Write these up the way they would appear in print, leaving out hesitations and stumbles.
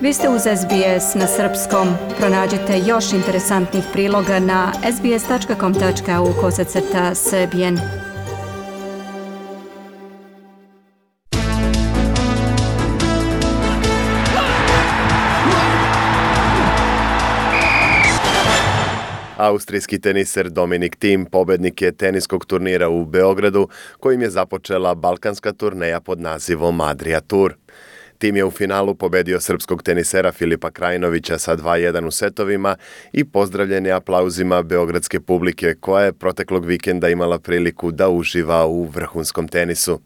Vi ste uz SBS na srpskom. Pronađite još interesantnih priloga na sbs.com.au/srbijen. Austrijski teniser Dominic Thiem pobednik je teniskog turnira u Beogradu, kojim je započela balkanska turneja pod nazivom Adria Tour. Thiem je u finalu pobedio srpskog tenisera Filipa Krajinovića sa 2:1 u setovima i pozdravljen je aplauzima beogradske publike koja je proteklog vikenda imala priliku da uživa u vrhunskom tenisu.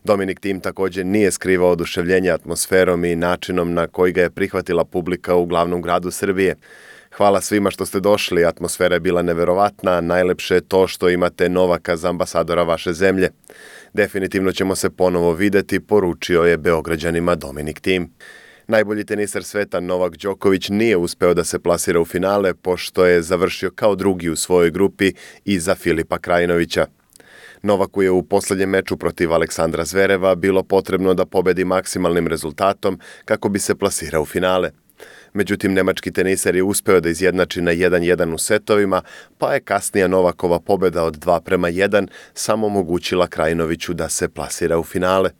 Dominic Thiem također nije skrivao oduševljenje atmosferom i načinom na koji ga je prihvatila publika u glavnom gradu Srbije. Hvala svima što ste došli, atmosfera je bila neverovatna, najlepše je to što imate Novaka za ambasadora vaše zemlje. Definitivno ćemo se ponovo videti, poručio je Beograđanima Dominic Thiem. Najbolji teniser sveta Novak Đoković nije uspeo da se plasira u finale, pošto je završio kao drugi u svojoj grupi iza Filipa Krajinovića. Novaku je u posljednjem meču protiv Aleksandra Zvereva bilo potrebno da pobedi maksimalnim rezultatom kako bi se plasirao u finale. Međutim, nemački teniser je uspeo da izjednači na 1:1 u setovima, pa je kasnija Novakova pobjeda od 2:1 samo omogućila Krajinoviću da se plasira u finale.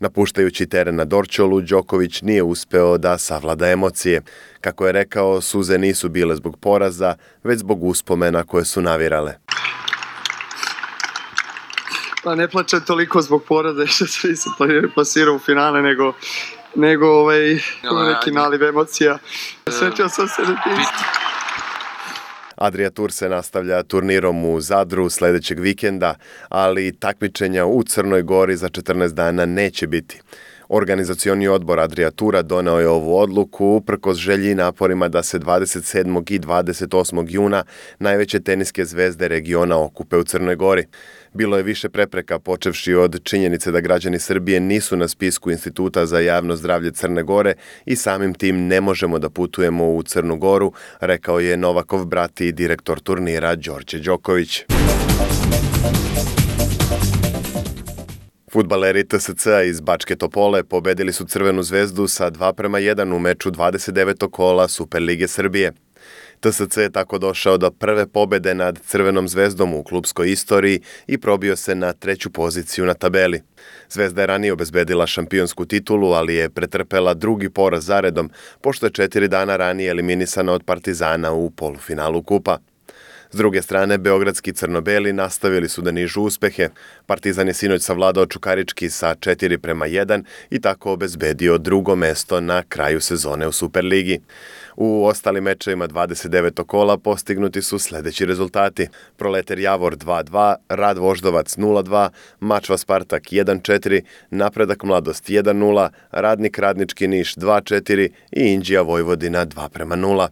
Napuštajući teren na Dorćolu, Đoković nije uspeo da savlada emocije. Kako je rekao, suze nisu bile zbog poraza, već zbog uspomena koje su navirale. Pa ne plačem toliko zbog poraza što se nisam plasirao u finale, nego neki naliv emocija. Srećao sam se na tim. Adria Tour se nastavlja turnirom u Zadru sljedećeg vikenda, ali takmičenja u Crnoj Gori za 14 dana neće biti. Organizacioni odbor Adria Toura doneo je ovu odluku uprkos želji i naporima da se 27. i 28. juna najveće teniske zvezde regiona okupe u Crnoj Gori. Bilo je više prepreka, počevši od činjenice da građani Srbije nisu na spisku Instituta za javno zdravlje Crne Gore i samim tim ne možemo da putujemo u Crnu Goru, rekao je Novakov brat i direktor turnira Đorđe Đoković. Fudbaleri TSC-a iz Bačke Topole pobedili su Crvenu zvezdu sa 2:1 u meču 29. kola Superlige Srbije. TSC je tako došao do prve pobede nad Crvenom zvezdom u klubskoj istoriji i probio se na 3. poziciju na tabeli. Zvezda je ranije obezbedila šampionsku titulu, ali je pretrpela drugi poraz zaredom, pošto je 4 dana ranije eliminisana od Partizana u polufinalu kupa. S druge strane, beogradski crno-beli nastavili su da nižu uspehe. Partizan je sinoć savladao Čukarički sa 4:1 i tako obezbedio drugo mesto na kraju sezone u Superligi. U ostalim mečevima 29. kola postignuti su sljedeći rezultati. Proleter Javor 2:2, Rad Voždovac 0:2, Mačva Spartak 1:4, Napredak Mladost 1:0, Radnik Radnički Niš 2:4 i Inđija Vojvodina 2:0.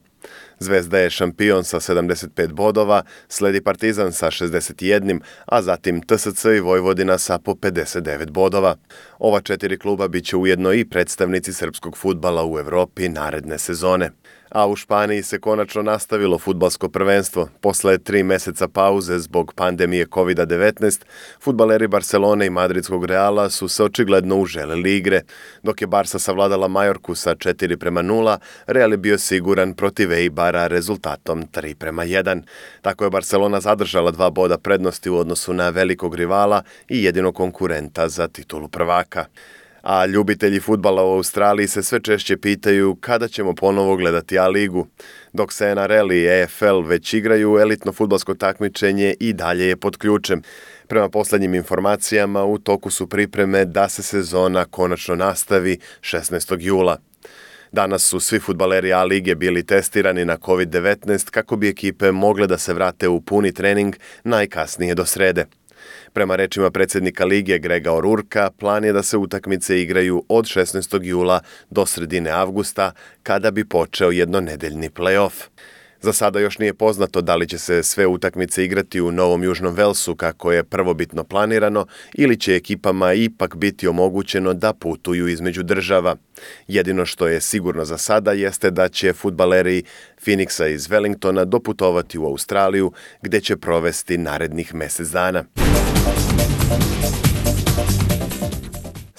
Zvezda je šampion sa 75 bodova, sledi Partizan sa 61, a zatim TSC i Vojvodina sa po 59 bodova. Ova 4 kluba bit će ujedno i predstavnici srpskog fudbala u Evropi naredne sezone. A u Španiji se konačno nastavilo fudbalsko prvenstvo. Posle 3 meseca pauze zbog pandemije COVID-19, fudbaleri Barcelone i Madridskog Reala su se očigledno uželeli igre. Dok je Barsa savladala Majorku sa 4:0, Real je bio siguran protiv Eibara rezultatom 3:1. Tako je Barcelona zadržala 2 boda prednosti u odnosu na velikog rivala i jedinog konkurenta za titulu prvaka. A ljubitelji fudbala u Australiji se sve češće pitaju kada ćemo ponovo gledati A-ligu. Dok se NRL i EFL već igraju, elitno fudbalsko takmičenje i dalje je pod ključem. Prema posljednjim informacijama, u toku su pripreme da se sezona konačno nastavi 16. jula. Danas su svi fudbaleri A-lige bili testirani na COVID-19 kako bi ekipe mogle da se vrate u puni trening najkasnije do srede. Prema rečima predsjednika lige Grega O'Rourkea, plan je da se utakmice igraju od 16. jula do sredine avgusta, kada bi počeo jednonedeljni play-off. Za sada još nije poznato da li će se sve utakmice igrati u Novom Južnom Velsu kako je prvobitno planirano ili će ekipama ipak biti omogućeno da putuju između država. Jedino što je sigurno za sada jeste da će fudbaleri Phoenixa iz Wellingtona doputovati u Australiju gdje će provesti narednih mjesec dana.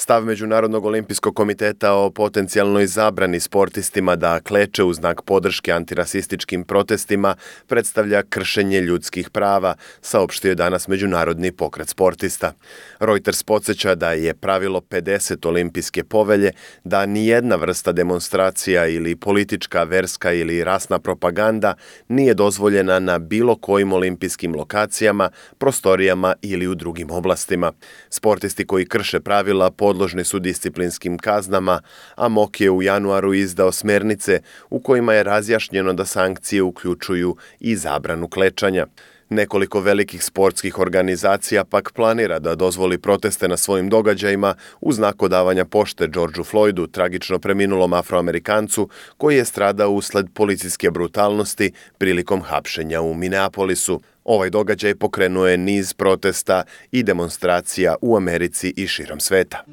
Stav Međunarodnog olimpijskog komiteta o potencijalnoj zabrani sportistima da kleče u znak podrške antirasističkim protestima predstavlja kršenje ljudskih prava, saopštio je danas Međunarodni pokret sportista. Reuters podsjeća da je pravilo 50 olimpijske povelje da nijedna vrsta demonstracija ili politička, verska ili rasna propaganda nije dozvoljena na bilo kojim olimpijskim lokacijama, prostorijama ili u drugim oblastima. Sportisti koji krše pravila podložni su disciplinskim kaznama, a MOK je u januaru izdao smernice u kojima je razjašnjeno da sankcije uključuju i zabranu klečanja. Nekoliko velikih sportskih organizacija pak planira da dozvoli proteste na svojim događajima u znak odavanja pošte Georgeu Floydu, tragično preminulom Afroamerikancu koji je stradao usled policijske brutalnosti prilikom hapšenja u Minneapolisu. Ovaj događaj pokrenuo je niz protesta i demonstracija u Americi i širom sveta.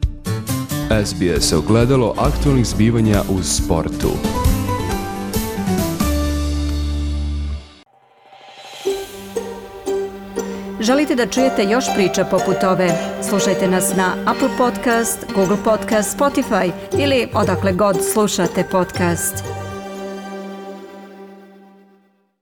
SBS ogledalo aktualnih zbivanja u sportu. Želite da čujete još priča poput ove? Slušajte nas na Apple Podcast, Google Podcast, Spotify ili odakle god slušate podcast.